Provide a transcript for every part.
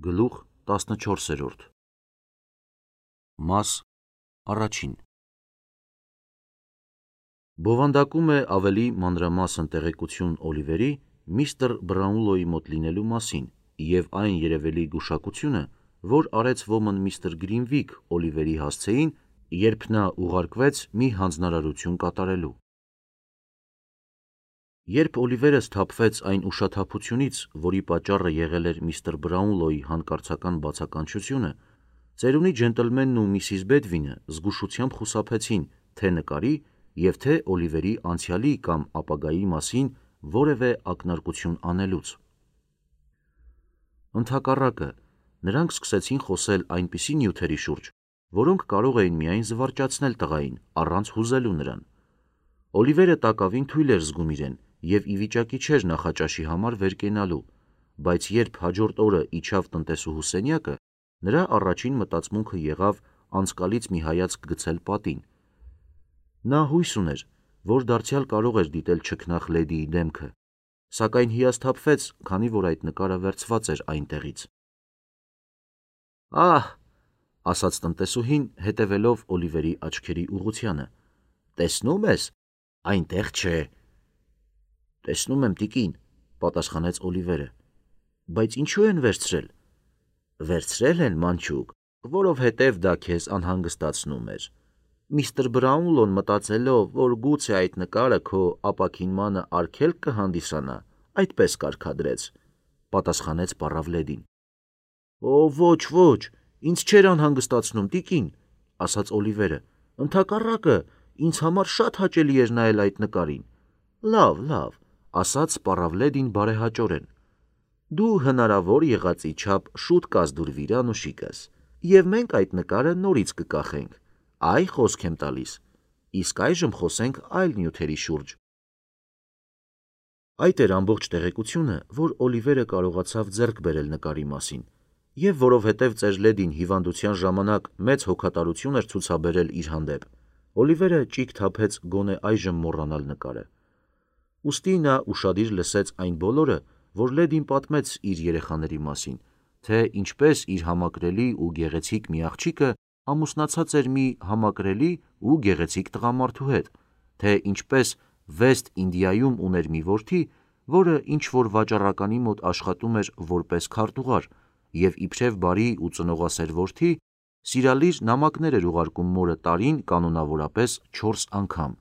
Գլուխ 14 Մաս առաջին Բովանդակում է ավելի մանրամասն տեղեկություն Օլիվերի միստր Բրաունլոյի մոտ լինելու մասին և այն երևելի գուշակությունը, որ արեց ոմն միստր Գրինվիք Օլիվերի հասցեին, երբ նա ուղարկվեց մի հանձնարարություն կատարելու։ Երբ Օլիվերը սթափվեց այն ուշաթափությունից, որի պատճառը եղել էր միստր Բրաունլոյի հանկարծական բացականչությունը, ծերունի ջենտլմենն ու միսիս Բեդվինը զգուշությամբ խուսափեցին թե նկարի և թե Օլիվերի անցյալի կամ ապագայի մասին որևէ ակնարկություն անելուց։ Ընդհակառակը, նրանք սկսեցին խոսել այնպիսի նյութերի շուրջ, որոնք կարող էին միայն զվարճացնել տղային, առանց հուզելու նրան։ Օլիվերը տակավին թույլ էր զգում իրեն և ի վիճակի չէր նախաճաշի համար վեր կենալու, բայց երբ հաջորդ օրը իջավ տնտեսուհու սենյակը, նրա առաջին մտածմունքը եղավ անցկալից մի հայացք գցել պատին։ Նա հույս ուներ, որ դարձյալ կարող էր դիտել չքնաղ լեդիի դեմքը, սակայն հիասթափվեց, քանի որ այդ նկարը վերցված էր այնտեղից։ «Ահ», ասաց տնտեսուհին, հետևելով Օլիվերի աչքերի ուղղությանը, «տեսնո՞ւմ ես, այնտեղ չէ»։ «Տեսնում եմ, տիկին», պատասխանեց Օլիվերը, «բայց ինչու են վերցրել»։ «Վերցրել են, մանչուկ, որովհետև դա քեզ անհանգստացնում էր։ Միստր Բրաունլոն մտածելով, որ գուցե այդ նկարը քո ապաքինմանը արգելք կհանդիսանա, այդպես կարգադրեց», պատասխանեց պառավ լեդին։ «Օ, ոչ, ինձ չէր անհանգստացնում, տիկին», ասաց Օլիվերը, «ընդհակառակը, ինձ համար շատ հաճելի էր նայել այդ նկարին»։ Լավ, ասաց պառավ լեդին բարեհաճորեն, դու հնարավոր եղածի չափ շուտ կազդուրվիր, անուշիկս, և մենք այդ նկարը նորից կկախենք, այ խոսք եմ տալիս, իսկ այժմ խոսենք այլ նյութերի շուրջ։ Այդ էր ամբողջ տեղեկությունը, որ Օլիվերը կարողացավ ձեռք բերել նկարի մասին, և որովհետև ծեր լեդին հիվանդության ժամանակ մեծ հոգատարություն էր ցուցաբերել իր հանդեպ, Օլիվերը ճիգ թափեց գոնե այժմ մոռանալ նկարը։ Ուստի նա ուշադիր լսեց այն բոլորը, որ լեդին պատմեց իր երեխաների մասին, թե ինչպես իր համակրելի ու գեղեցիկ մի աղջիկը ամուսնացած էր մի համակրելի ու գեղեցիկ տղամարդու հետ, թե ինչպես Վեստ Ինդիայում ուներ մի որդի, որը ինչ-որ վաճառականի մոտ աշխատում էր որպես քարտուղար և իբրև բարի ու ծնողասեր որդի, սիրալիր նամակներ էր ուղարկում մորը տարին կանոնավորապես 4 անգամ։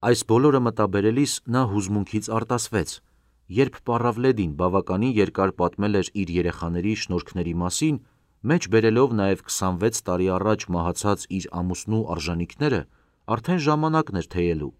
Այս բոլորը մտաբերելիս նա հուզմունքից արտասվեց, երբ պառավ լեդին բավականին երկար պատմել էր իր երեխաների շնորհքների մասին, մեջ բերելով նաև 26 տարի առաջ մահացած իր ամուսնու արժանինքները, արդեն ժամանակն էր թեյելու։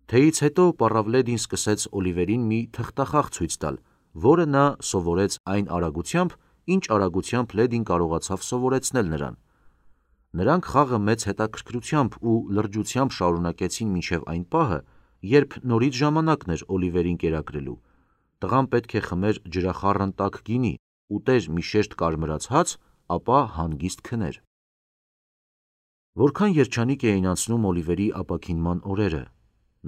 Թեյից հետո պառավ լեդին սկսեց Օլիվերին մի թղթախաղ ցույց տալ, որը նա սովորեց այն արագությամբ, ինչ արագությամբ լեդին կարողացավ սովորեցնել նրան։ Նրանք խաղը մեծ հետաքրքրությամբ ու լրջությամբ շարունակեցին մինչև այն պահը, երբ նորից ժամանակն էր Օլիվերին կերակրելու։ Տղան պետք է խմեր ջրախառն տաք գինի, ուտեր մի շերտ կարմրած հաց, ապա հանգիստ քներ։ Որքան երջանիկ էին անցնում Օլիվերի ապաքինման օրերը։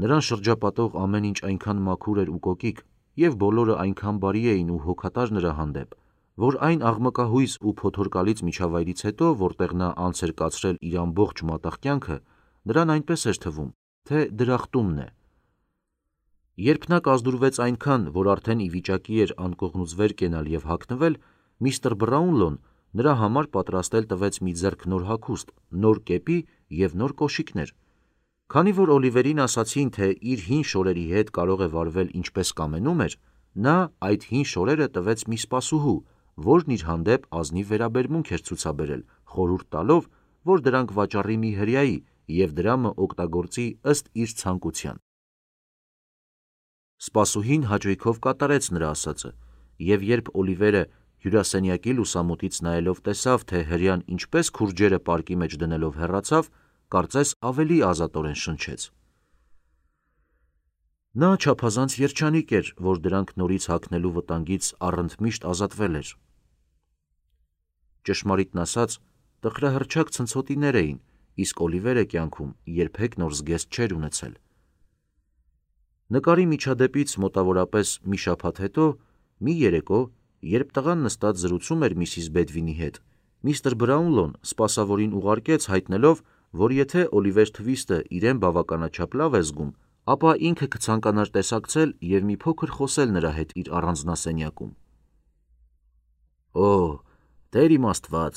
Նրան շրջապատող ամեն ինչ այնքան մաքուր էր ու կոկիկ, և բոլորը այնքան բարի էին ու հոգատար նրա հանդեպ, որ այն աղմկահույս ու փոթորկալից միջավայրից հետո, որտեղ նա անց էր կացրել իր ամբողջ մատաղ կյանքը, նրան այնպես էր թվում, թե դրախտումն է։ Երբ նա կազդուրվեց այնքան, որ արդեն ի վիճակի էր անկողնուց վեր կենալ և հագնվել, միստր Բրաունլոն նրա համար պատրաստել տվեց մի ձեռք նոր հագուստ, նոր կեպի և նոր կոշիկներ։ Քանի որ Օլիվերին ասացին, թե իր հին շորերի հետ կարող է վարվել ինչպես կամենում էր, նա այդ հին շորերը տվեց մի սպասուհու, որն իր հանդեպ ազնիվ վերաբերմունք էր ցուցաբերել, խորհուրդ տալով, որ դրանք վաճառի մի հրեայի և դրամը օգտագործի ըստ իր ցանկության։ Սպասուհին հաճույքով կատարեց նրա ասածը, և երբ Օլիվերը հյուրասենյակի լուսամուտից նայելով տեսավ, թե հրեան ինչպես քուրջերը պարկի մեջ դնելով հեռացավ, կարծես ավելի ազատորեն շնչեց։ Նա չափազանց երջանիկ էր, որ դրանք նորից հագնելու վտանգից առընդմիշտ ազատվել էր։ Ճշմարիտն ասած, տխրահռչակ ցնցոտիներ էին, իսկ Օլիվերը կյանքում երբեք նոր զգեստ չէր ունեցել։ Նկարի միջադեպից մոտավորապես մի շաբաթ հետո Մի երեկո, երբ տղան նստած զրուցում էր Միսիս Բեդվինի հետ, միստր Բրաունլոն սպասավորին ուղարկեց հայտնելով, որ եթե Օլիվեր Թվիստը իրեն բավականաչափ լավ է զգում, ապա ինքը կցանկանար տեսակցել և մի փոքր խոսել նրա հետ իր առանձնասենյակում։ «Օ, Տեր իմ Աստված,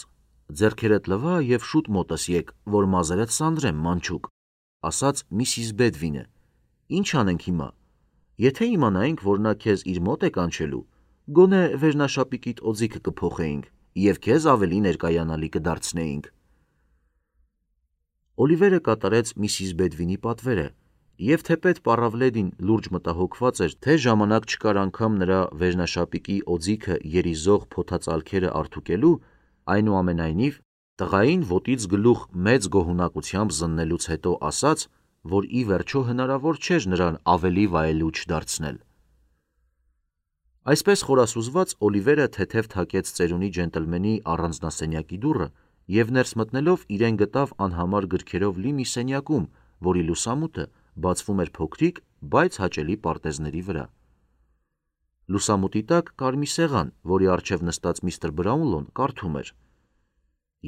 ձեռքերդ լվա և շուտ մոտս եկ, որ մազերդ սանրեմ, մանչուկ», ասաց Միսիս Բեդվինը։ «Ինչ անենք հիմա։ Եթե իմանայինք, որ նա քեզ իր մոտ է կանչելու, գոնե վերնաշապիկիդ օձիքը կփոխեինք և քեզ ավելի ներկայանալի կդարձնեինք»։ Օլիվերը կատարեց Միսիս Բեդվինի պատվերը, և թեպետ պառավլեդին լուրջ մտահոգված էր, թե ժամանակ չկար անգամ նրա վերնաշապիկի օձիքը երիզող փոթածալքերը արդուկելու, այնուամենայնիվ տղային ոտից գլուխ մեծ գոհունակությամբ զննելուց հետո ասաց, որ ի վերջո հնարավոր չէր նրան ավելի վայելուչ դարձնել։ Այսպես խորասուզված Օլիվերը թեթև թակեց ծերունի ջենտլմենի առանձնասենյակի դուռը և ներս մտնելով իրեն գտավ անհամար գրքերով լի մի սենյակում, որի լուսամուտը բացվում էր փոքրիկ, բայց հաճելի պարտեզների վրա։ Լուսամուտի տակ կար մի սեղան, որի առջև նստած միստր Բրաունլոն կարդում էր։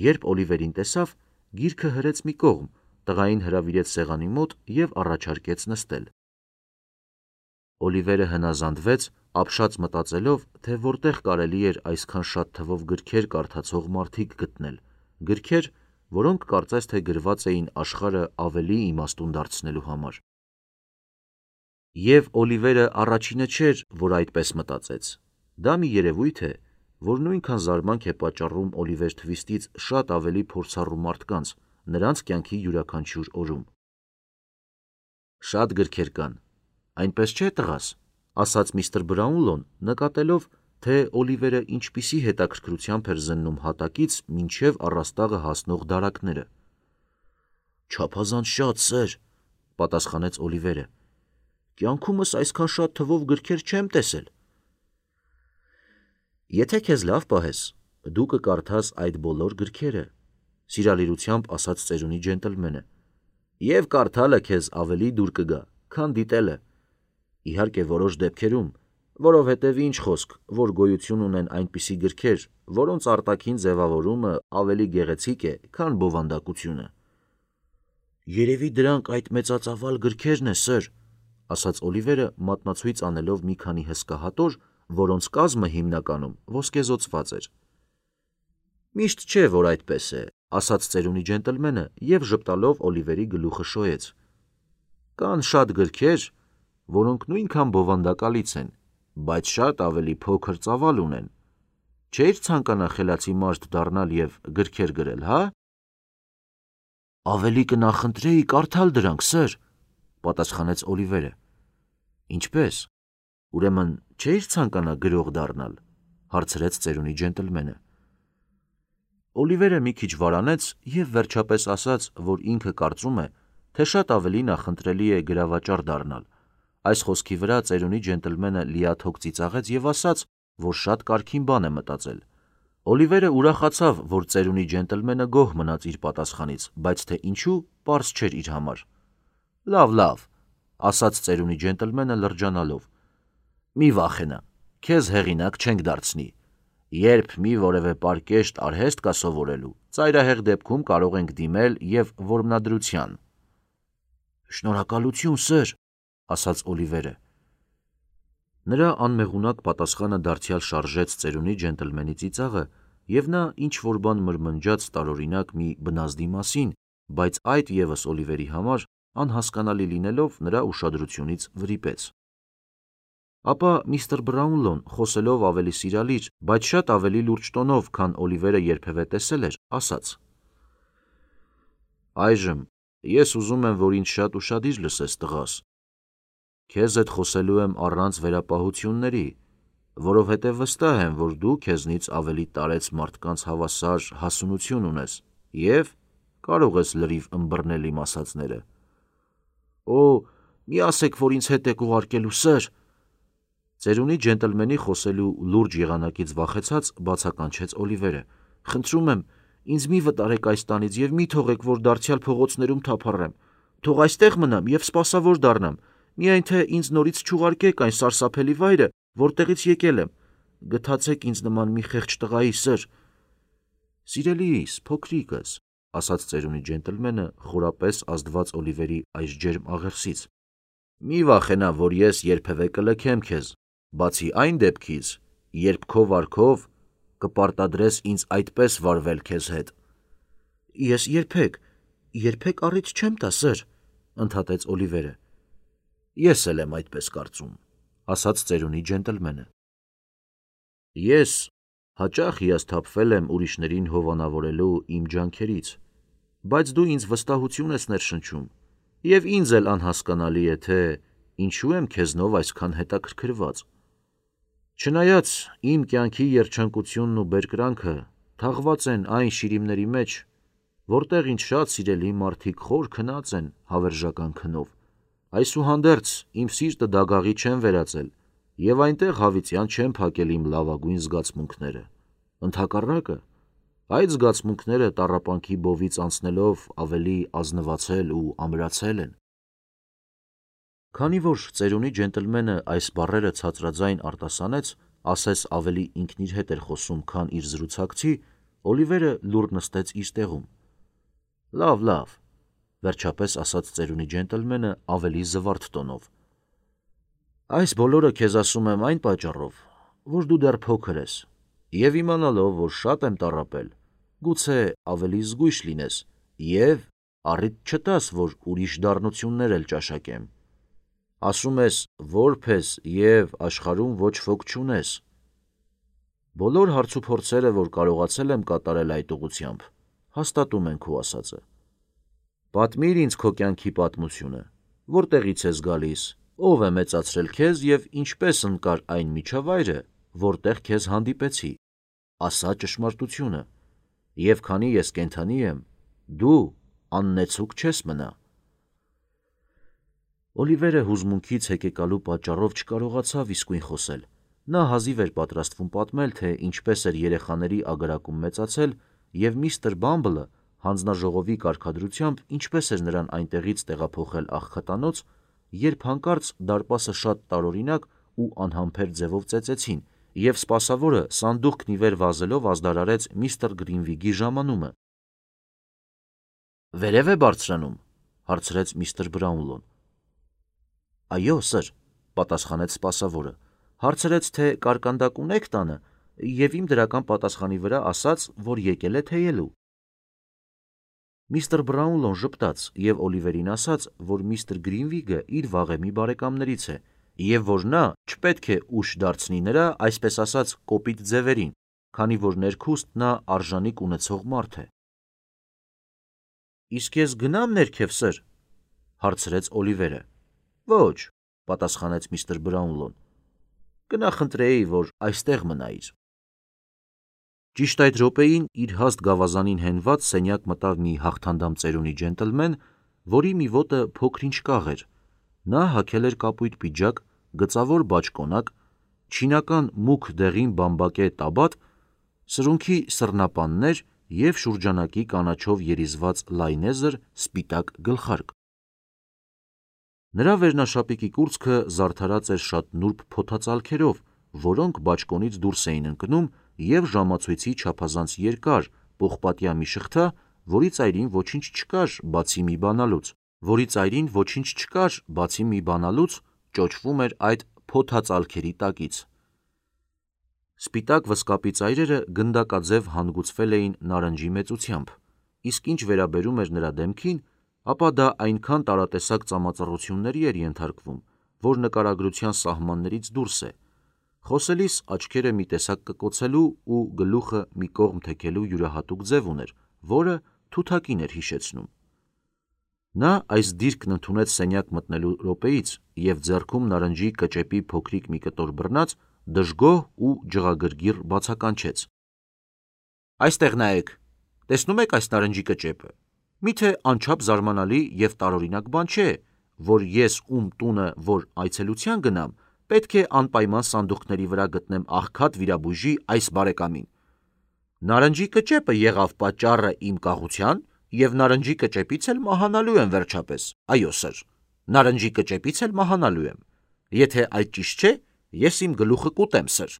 Երբ Օլիվերին տեսավ, գիրքը հրեց մի կողմ, տղային հրավիրեց սեղանի մոտ և առաջարկեց նստել։ Օլիվերը հնազանդվեց, ապշած մտածելով, թե որտեղ կարելի էր այսքան շատ թվով գրքեր կարդացող մարդիկ գտնել, գրքեր, որոնք կարծես թե գրված էին աշխարհը ավելի իմաստուն դարձնելու համար։ Եվ Օլիվերը առաջինը չէր, որ այդպես մտածեց։ Դա մի երևույթ է, որ նույնքան զարմանք է պատճառում Օլիվեր Թվիստից շատ ավելի փորձառու մարդկանց, նրանց կյանքի յուրաքանչյուր օրում։ «Շատ գրքեր կան, այնպես չէ, տղաս», ասաց միստր Բրաունլոն, նկատելով, թե Օլիվերը ինչպիսի հետաքրքրությամբ էր զննում հատակից մինչև առաստաղը հասնող դարակները։ «Չափազանց շատ, սըր», պատասխանեց Օլիվերը։ «Կյանքումս այսքան շատ թվով գրքեր չեմ տեսել»։ «Եթե քեզ լավ պահես, դու կկարդաս այդ բոլոր գրքերը», սիրալիրությամբ ասաց ծերունի ջենտլմենը, «և կարդալը քեզ ավելի դուր կգա, քան դիտելը։ Իհարկե որոշ դեպքերում, որովհետև ինչ խոսք, որ գոյություն ունեն այնպիսի գրքեր, որոնց արտաքին ձևավորումը ավելի գեղեցիկ է, քան բովանդակությունը»։ «Երևի դրանք այդ մեծածավալ գրքերն է, սըր», ասաց Օլիվերը մատնացույց անելով մի քանի հսկա հատոր, որոնց կազմը հիմնականում ոսկեզօծված էր։ «Միշտ չէ, որ այդպես է», ասաց ծերունի ջենտլմենը և ժպտալով Օլիվերի գլուխը շոյեց։ «Կան շատ գրքեր, որոնք նույնքան բովանդակալից են, բայց շատ ավելի փոքր ծավալ ունեն։ Չէիր ցանկանա խելացի մարդ դառնալ և գրքեր գրել, հա»։ «Ավելի կնախընտրեի կարդալ դրանք, սըր», պատասխանեց Օլիվերը։ «Ինչպե՞ս, ուրեմն չէիր ցանկանա գրող դառնալ», հարցրեց ծերունի ջենտլմենը։ Օլիվերը մի քիչ վարանեց և վերջապես ասաց, որ ինքը կարծում է, թե շատ ավելի նախընտրելի է գրավաճառ դառնալ։ Այս խոսքի վրա ծերունի ջենտլմենը լիաթոք ծիծաղեց և ասաց, որ շատ կարգին բան է մտածել։ Օլիվերը ուրախացավ, որ ծերունի ջենտլմենը գոհ մնաց իր պատասխանից, բայց թե ինչու, պարզ չէր իր համար։ «Լավ», ասաց ծերունի ջենտլմենը լրջանալով, «մի վախենա, քեզ հեղինակ չենք դարձնի։ Երբ մի որևէ պարկեշտ արհեստ կա սովորելու, ծայրահեղ դեպքում կարող ենք դիմել և որմնադրության»։ «Շնորհակալություն, սըր», ասաց Օլիվերը։ Նրա անմեղունակ պատասխանը դարձյալ շարժեց ծերունի ջենտլմենի ծիծաղը, և նա ինչ-որ բան մրմնջաց տարօրինակ մի բնազդի մասին, բայց այդ ևս Օլիվերի համար անհասկանալի լինելով նրա ուշադրությունից վրիպեց։ Ապա միստր Բրաունլոն, խոսելով ավելի սիրալիր, բայց շատ ավելի լուրջ տոնով, քան Օլիվերը երբևէ տեսել էր, ասաց. «Այժմ ես ուզում եմ, որ ինձ շատ ուշադիր լսես, տղաս։ Քեզ հետ խոսելու եմ առանց վերապահությունների, որովհետև վստահ եմ, որ դու քեզնից ավելի տարեց մարդկանց հավասար հասունություն ունես և կարող ես լրիվ ըմբռնել իմ ասածները»։ «Օ, մի ասեք, որ ինձ հետ եք ուղարկելու, սըր», ծերունի ջենտլմենի խոսելու լուրջ եղանակից վախեցած բացականչեց Օլիվերը։ «Խնդրում եմ, ինձ մի վտարեք այս տանից և մի թողեք, որ դարձյալ փողոցներում թափառեմ։ Թող այստեղ մնամ և սպասավոր դառնամ, միայն թե ինձ նորից չուղարկեք այն սարսափելի վայրը, որտեղից եկել եմ, գթացեք ինձ նման մի խեղճ տղայի, սըր։ Սիրելիս, փոքրիկս, ասաց ծերունի ջենտլմենը խորապես ազդված Օլիվերի այս ջերմ աղերսից, մի վախենա, որ ես երբևէ կլքեմ քեզ, բացի այն դեպքից, երբ քո վարքով կպարտադրես ինձ այդպես վարվել քեզ հետ։ Ես երբեք առիթ չեմ տա, սըր, ընդհատեց Օլիվերը։ Ես էլ եմ այդպես կարծում, ասաց ծերունի ջենտլմենը։ Ես հաճախ հիասթափվել եմ ուրիշներին հովանավորելու իմ ջանքերից, բայց դու ինձ վստահություն ես ներշնչում, և ինձ էլ անհասկանալի է, թե ինչու եմ քեզնով այսքան հետաքրքրված։ Չնայած իմ կյանքի երջանկությունն ու բերկրանքը թաղված են այն շիրիմների մեջ, որտեղ ինձ շատ սիրելի մարդիկ խոր քնած են հավերժական քնով, այսուհանդերձ իմ սիրտը դագաղի չեմ վերածել և այնտեղ հավիտյան չեմ փակել իմ լավագույն զգացմունքները, ընդհակառակը, այդ զգացմունքները տառապանքի բովից անցնելով ավելի ազնվացել ու ամրացել են։ Քանի որ ծերունի ջենտլմենը այս բառերը ցածրաձայն արտասանեց, ասես ավելի ինքն իր հետ էր խոսում, քան իր զրուցակցի, Օլիվերը լուռ նստեց իր տեղում։ Լավ, վերջապես ասաց ծերունի ջենտլմենը ավելի զվարթ տոնով։ Այս բոլորը քեզ ասում եմ այն պատճառով, որ դու դեռ փոքր ես, և իմանալով, որ շատ եմ տառապել, գուցե ավելի զգույշ լինես և առիթ չտաս, որ ուրիշ դառնություններ էլ ճաշակեմ։ Ասում ես որբ ես և աշխարհում ոչ ոք չունես։ Բոլոր հարցուփորձերը, որ կարողացել եմ կատարել այդ ուղղությամբ, հաստատում են քո ասածը։ Պատմիր ինձ քո կյանքի պատմությունը, որտեղից ես գալիս, ով է մեծացրել քեզ և ինչպես ընկար այն միջավայրը, որտեղ քեզ հանդիպեցի, ասա ճշմարտությունը, և քանի ես կենդանի եմ, դու աննեցուկ չես մնա։ Օլիվերը հուզմունքից հեկեկալու պատճառով չկարողացավ իսկույն խոսել։ Նա հազիվ էր պատրաստվում պատմել, թե ինչպես էր երեխաների ագարակում մեծացել, և միստր Բամբլը հանձնաժողովի կարգադրությամբ ինչպես էր նրան այնտեղից տեղափոխել աղքատանոց, երբ հանկարծ դարպասը շատ տարօրինակ ու անհամբեր ձևով ծեծեցին, և սպասավորը սանդուղքն ի վեր վազելով ազդարարեց միստր Գրինվիգի ժամանումը։ «Վերև է բարձրանում», հարցրեց միստր Բրաունլոն։ Այո, սըր, պատասխանեց սպասավորը, հարցրեց, թե կարկանդակ ունեք տանը, և իմ դրական պատասխանի վրա ասաց, որ եկել է թեյելու։ Միստր Բրաունլոն ժպտաց և Օլիվերին ասաց, որ միստր Գրինվիգը իր վաղեմի բարեկամներից է, և որ նա չպետք է ուշ դարձնի նրա, այսպես ասած, կոպիտ ձևերին, քանի որ ներքուստ նա արժանիք ունեցող մարդ է։ Իսկ ես գնա՞մ ներքև, սըր, հարցրեց Օլիվերը։ Ոչ, պատասխանեց միստր Բրաունլոն, կնախընտրեի, որ այստեղ մնայիր։ Ճիշտ այդ րոպեին իր հաստ գավազանին հենված սենյակ մտավ մի հաղթանդամ ծերունի ջենտլմեն, որի մի ոտը փոքր-ինչ կաղ էր։ Նա հագել էր կապույտ պիջակ, գծավոր բաճկոնակ, չինական մուգ դեղին բամբակե տաբատ, սրունքի սռնապաններ և շուրջանակի կանաչով երիզված լայնեզր սպիտակ գլխարկ։ Նրա վերնաշապիկի կուրծքը զարդարած էր շատ նուրբ փոթածալքերով, որոնք բաճկոնից դուրս էին ընկնում, և ժամացույցի չափազանց երկար, պողպատյա մի շղթա, որի ծայրին ոչինչ չկար, բացի մի բանալուց, ճոճվում էր այդ փոթածալքերի տակից։ Սպիտակ վզկապի ծայրերը գնդակաձև հանգուցվել էին նարնջի մեծությամբ, իսկ ինչ վերաբերում էր նրա դեմքին, ապա դա այնքան տարատեսակ ծամածռությունների էր ենթարկվում, որ նկարագրության սահմաններից դուրս է։ Խոսելիս աչքերը մի տեսակ կկոցելու ու գլուխը մի կողմ թեքելու յուրահատուկ ձև ուներ, որը թութակին էր հիշեցնում։ Նա այս դիրքն ընդունեց սենյակ մտնելու րոպեից և ձեռքում նարնջի կճեպի փոքրիկ մի կտոր բռնած, դժգոհ ու ջղագրգիռ բացականչեց. Այստեղ նայեք, տեսնում եք այս նարնջի կճեպը, միթե անչափ զարմանալի և տարօրինակ բան չէ, որ ես ում տունը որ այցելության գնամ, պետք է անպայման սանդուղքների վրա գտնեմ աղքատ վիրաբույժի այս բարեկամին։ Նարնջի կճեպը եղավ պատճառը իմ կաղության, և նարնջի կճեպից էլ մահանալու եմ վերջապես, այո, սըր, նարնջի կճեպից էլ մահանալու եմ։ Եթե այդ ճիշտ չէ, ես իմ գլուխը կուտեմ, սըր։